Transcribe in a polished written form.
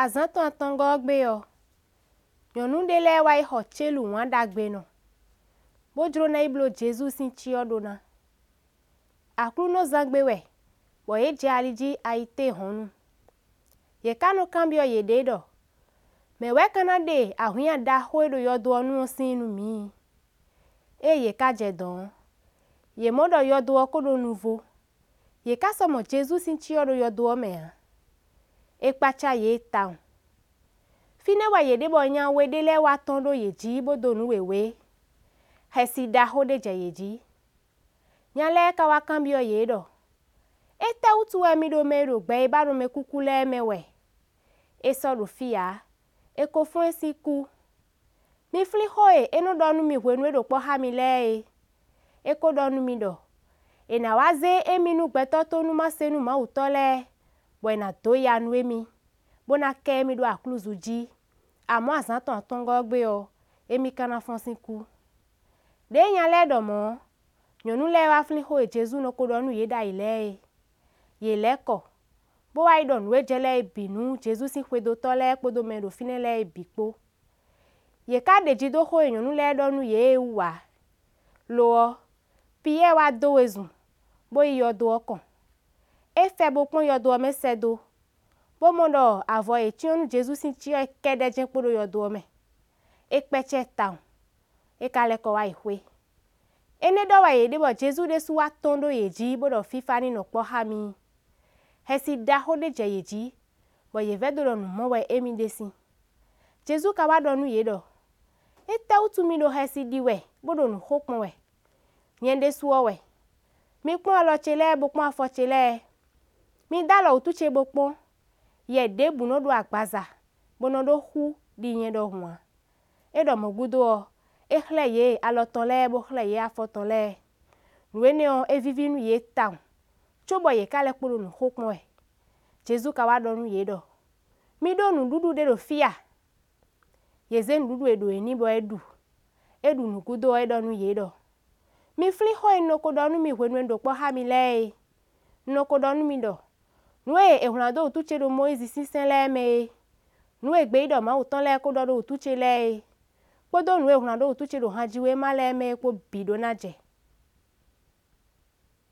Azǎn tɔn atɔngɔ́ ɔ́ gbe ɔ́, nyɔ̌nu ɖé lɛ́ɛ wá yi xɔ célu wǎn ɖagbenɔ, bó jló ná yi bló Jezu sín cyɔ ɖó ná. Aklúnɔzángbe wɛ bɔ yě jɛ ali jí ayǐtéhɔ̌nnu. Yě ká nɔ kanbyɔ́ yěɖée ɖɔ, mɛ̌ wɛ ka ná ɖe awǐnnya ɖaxó e ɖo yɔdo ɔ́ nu ɔ́ síin nú mǐ? Ée yě ká jɛ dɔ̌n ɔ́, yě mɔ ɖɔ yɔdo ɔ́ kó ɖo nuvo. Yě ká sɔ́ mɔ Jezu sín cyɔ ɖo yɔdo ɔ́ mɛ ǎ. É kpácá yě tawun. Fínɛ́ wɛ yě ɖe bɔ nya we ɖé lɛ́ɛ wá tɔ́n ɖó yě jí bó dó nǔ wěwé. Xɛsi ɖaxó ɖé jɛ yě jí. Nya lɛ́ɛ ka wá kanbyɔ́ yě ɖɔ, étɛ́ wútu wɛ mi ɖo mɛ e ɖo gbɛ é ba ɖo mɛkúkú lɛ́ɛ mɛ wɛ? É sɔ́ ɖo fí ǎ, è ko fɔ́n ɛ sín kú. Mi flín xó e é nɔ́ ɖɔ nú mi hwenu e é ɖo kpɔ́ xá mi lɛ́ɛ é. É ko ɖɔ nú mi ɖɔ, è nǎ wá zé émí nú gbɛtɔ́ tónúmasenu Mawǔtɔ́ lɛ́ɛ, bɔ è nǎ dó ya nú émí, bó ná kɛ émí ɖó aklúzu jí. Amɔ̌ azǎn tɔn atɔngɔ́ ɔ́ gbe ɔ́, émí ka ná fɔ́n sín kú. Ɖě nya lɛ́ɛ ɖɔ mɔ̌ ɔ́, nyɔ̌nu lɛ́ɛ wá flín xó e Jezu nɔ ko ɖɔ nú yě ɖ'ayǐ lɛ́ɛ é. Yě lɛ́ kɔ, bó wá yi ɖɔ nǔ e jɛ lɛ́ɛ é bǐ nú Jezu sín xwedótɔ́ lɛ́ɛ kpódó mɛ e ɖo fínɛ́ lɛ́ɛ é bǐ kpó. Yě ká ɖeji dó xó e nyɔ̌nu lɛ́ɛ ɖɔ nú yě é wú ǎ. Lo ɔ́, Piyɛ́ɛ wá dó wezun, bó yi yɔdo ɔ́ kɔn. É fɛ bo kpɔ́n yɔdo ɔ́ mɛ sɛ́ dó, bó mɔ ɖɔ avɔ e è cyɔ́n nú Jezu sín cyɔ é kɛ́ɖɛ́ jɛ́n kpo ɖo yɔdo ɔ́ mɛ. É kpɛcɛ tawun. É ka lɛ́ kɔ wá yi xwé. Énɛ́ ɖɔ wɛ yě ɖe bɔ Jezu ɖésú wá tɔ́n ɖó yě jí bó ɖɔ fífá ní nɔ kpɔ́ xá mi. Xɛsi ɖaxó ɖé jɛ yě jí, bɔ yě vɛdó ɖɔ nǔ mɔ wɛ émí ɖe sín. Jezu ka wá ɖɔ nú yě ɖɔ, étɛ́ wútu mi ɖo xɛsi ɖi wɛ bó ɖo nǔ xo kpɔ́n wɛ? Nyɛ ɖésú ɔ́ wɛ. Mi kpɔ́n alɔ ce lɛ́ɛ bo kpɔ́n afɔ ce lɛ́ɛ. Mi dó alɔ wútu ce bo kpɔ́n. Yɛ ɖěbǔ nɔ́ ɖó agbaza bo nɔ ɖó xú ɖi nyɛ ɖɔhun ǎ. É ɖɔ mɔ̌ gúdo ɔ́, é xlɛ́ yě alɔ tɔn lɛ́ɛ bó xlɛ́ yě afɔ tɔn lɛ́ɛ. Nǔ énɛ́ ɔ́, é víví nú yě tawun, cóbɔ yě ká lɛ́ kpo ɖo nǔ xo kpɔ́n wɛ. Jezu ka wá ɖɔ nú yě ɖɔ, mi ɖó nǔɖuɖu ɖé ɖo fí a? Yě zé nǔɖuɖu e ɖǒ é n'i bɔ é ɖu. É ɖu nǔ gúdo ɔ́, é ɖɔ nú yě ɖɔ, mi flín xó e un nɔ ko ɖɔ nú mi hwenu e un ɖo kpɔ́ xá mi lɛ́ɛ é. Un nɔ ko ɖɔ nú mi ɖɔ, nǔ e è wlǎn dó wútu ce ɖo Mɔyízi sín sɛ́n lɛ́ɛ mɛ é, nǔ e gbeyíɖɔ Mawu tɔn lɛ́ɛ ko ɖɔ ɖó wútu ce lɛ́ɛ é, kpódó nǔ e è wlǎn ɖó wútu ce ɖo hanjiwéma lɛ́ɛ mɛ é kpó bǐ ɖó ná jɛ.